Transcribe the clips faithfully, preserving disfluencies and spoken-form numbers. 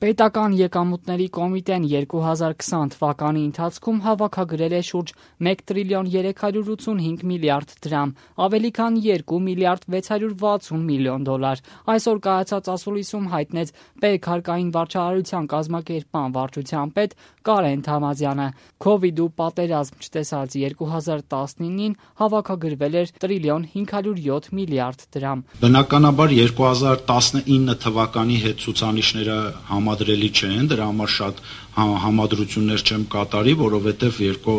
Պետական եկամուտների կոմիտեն երկու հազար քսան թվականի ընթացքում հավաքագրել է շուրջ մեկ տրիլիոն երեք հարյուր ութսունհինգ միլիարդ դրամ, ավելի քան երկու միլիարդ վեց հարյուր վաթսուն միլիոն դոլար։ Այսօր կայացած ասուլիսում հայտնեց Պետ հարկային վարչարարության կազմակերպման վարչության պետ Կարեն Թամազյանը։ Քովիդ ու պատերազմ չտեսած երկու հազար տասնինին հավաքագրվել էր տրիլիոն հինգ հարյուր յոթ միլիարդ դրամ։ Բնականաբար երկու հազար տասնինը թվականի հետ ցուցանիշները համադրելի չեն, դրա համար շատ համադրություններ չեմ կատարի, որովհետև երկու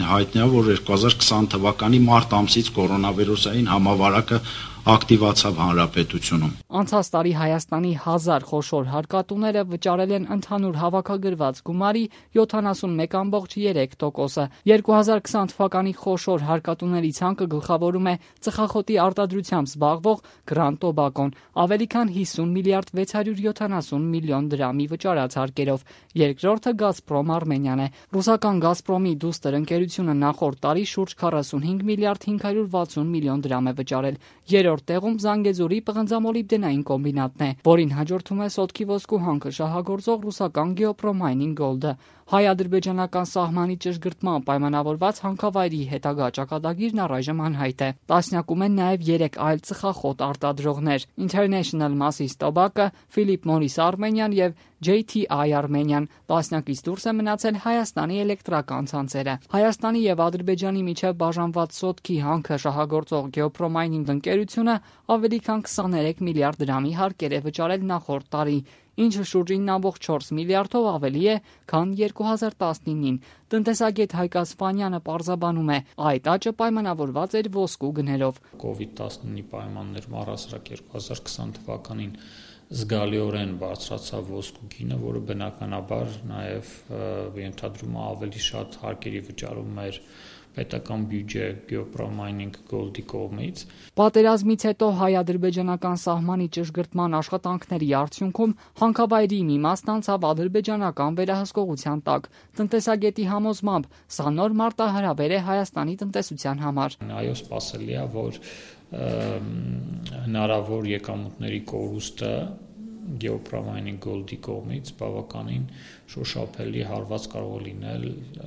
հայտնի է, որ երկու հազար քսան թվականի մարտ ամսից կորոնավիրուսային համավարակը ակտիվացավ հանրապետությունում։ Անցած տարի Հայաստանի հազար խոշոր հարկատուները վճարել են ընդհանուր հավաքագրված գումարի յոթանասունմեկ ամբողջ երեք տոկոսը։ երկու հազար քսան թվականի խոշոր հարկատուների ցանկը գլխավորում է ծխախոտի արտադրությամբ զբաղվող Գրանդ Տոբակոն, ավելի քան հիսուն միլիարդ վեց հարյուր յոթանասուն միլիոն դրամի վճարած հարկերով։ Երկրորդը Գազպրոմ Արմենիան է։ Ռուսական Գազպրոմի դուստր ընկերությունը նախորդ տարի շուրջ քառասունհինգ միլիարդ հինգ հարյուր վաթսուն միլիոն դրամ է վճարել։ Երրորդ տեղում Զանգեզուրի պղնձամոլիբդենային կոմբինատն է, որին հաջորդում է Սոտքի ոսկու հանքը շահագործող ռուսական Գեոպրոմայնինգ Գոլդը։ Հայ-ադրբեջանական սահմանի ճշգրտման պայմանավորված հանքավայրի հետագա ճակատագիրն առայժմ անհայտ է։ Տասնյակում են նաև երեք այլ ծխախոտ արտադրողներ՝ International Masses Tobacco, Philip Morris Armenian եւ J T I Armenian։ Տասնյակից դուրս է մնացել Հայաստանի էլեկտրական ցանցերը։ Հայաստանի եւ Ադրբեջանի միջև բաժանված Սոտքի հանքը շահագործող Գեոպրոմայնինգ ընկերությունը ավելի քան քսաներեք միլիարդ դրամի հարկեր է վճարել նախորդ տարի, ինչը շուրջ ինը ամբողջ չորս միլիարդով ավելի է, քան երկու հազար տասնինին։ Տնտեսագետ Հայկ Ասպանյանը պարզաբանում է, այդ աճը պայմանավորված էր ոսկու գներով։ Կովիդ տասնինի պայմաններում առհասարակ երկու հազար քսան թվականին զգալիորեն բարձրացավ ոսկու գինը, որը բնականաբար նաև ենթադրում է ավելի շատ հարկերի վճարում էր պետական բյուջե Գեոպրոմայնինգ Գոլդի կողմից։ Պատերազմից հետո հայ-ադրբեջանական սահմանի ճշգրտման աշխատանքների արդյունքում հանքավայրի մի մասն անցավ ադրբեջանական վերահսկողության տակ։ Տնտեսագետի համոզմամբ սա նոր մարտահրավեր է Հայաստանի տնտեսության համար։ Այո, սպասելի է, որ հնարավոր եկամուտների կորուստը Գեոպրոմայնինգ Գոլդի կողմից բավականին շոշափելի հարված կարող է լինել,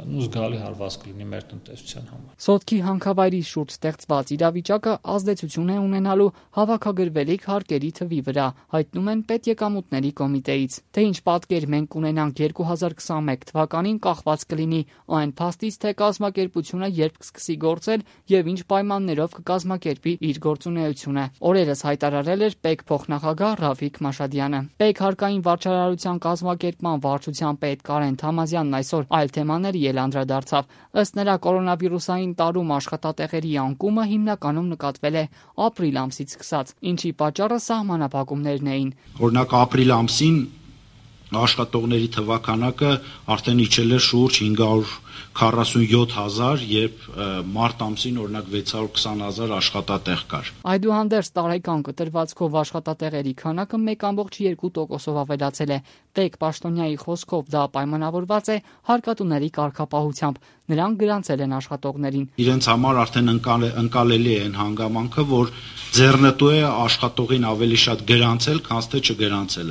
ու զգալի հարված կլինի մեր տնտեսության համար։ Սոտքի հանքավայրի շուրջ ստեղծված իրավիճակը ազդեցություն է ունենալու հավաքագրվելիք հարկերի թվի վրա, հայտնում են Պետեկամուտների կոմիտեից։ Թե ինչ պատկեր մենք ունենանք երկու հազար քսանմեկ թվականին կախված կլինի այն փաստից, թե կազմակերպությունը երբ կսկսի գործել եւ ինչ պայմաններով կկազմակերպի իր գործունեությունը։ Օրերս հայտարարել էր ՊԵԿ փոխնախագահ Ռաֆիկ Մաշադյանը։ ՊԵԿ հարկային վարչարարության կազմակերպման վարչության պետ Կարեն Թամազյանն այսօր այլ թեմաների էլ անդրադարձավ։ Ըստ նրա, կորոնավիրուսային տարում աշխատատեղերի անկումը հիմնականում նկատվել է ապրիլ ամսից սկսած, ինչի պատճառը սահմանափակումներն էին։ Օրինակ ապրիլ ամսին աշխատողների թվականակը արդեն իջել է շուրջ հինգ հարյուր քառասունյոթ հազար, երբ մարտ ամսին օրինակ վեց հարյուր քսան հազար աշխատատեղ կար։ Այդուհանդերձ տարեկան կտրվածքով աշխատատեղերի քանակը մեկ ամբողջ երկու տոկոսով ավելացել է։ ՊԵԿ պաշտոնյայի խոսքով դա պայմանավորված է հարկատուների կարգապահությամբ։ Նրանք գրանցել են աշխատողներին։ Իրենց համար արդեն ընկալելի է այն հանգամանքը, որ ձեռնտու է աշխատողին ավելի շատ գրանցել, քան թե չգրանցել։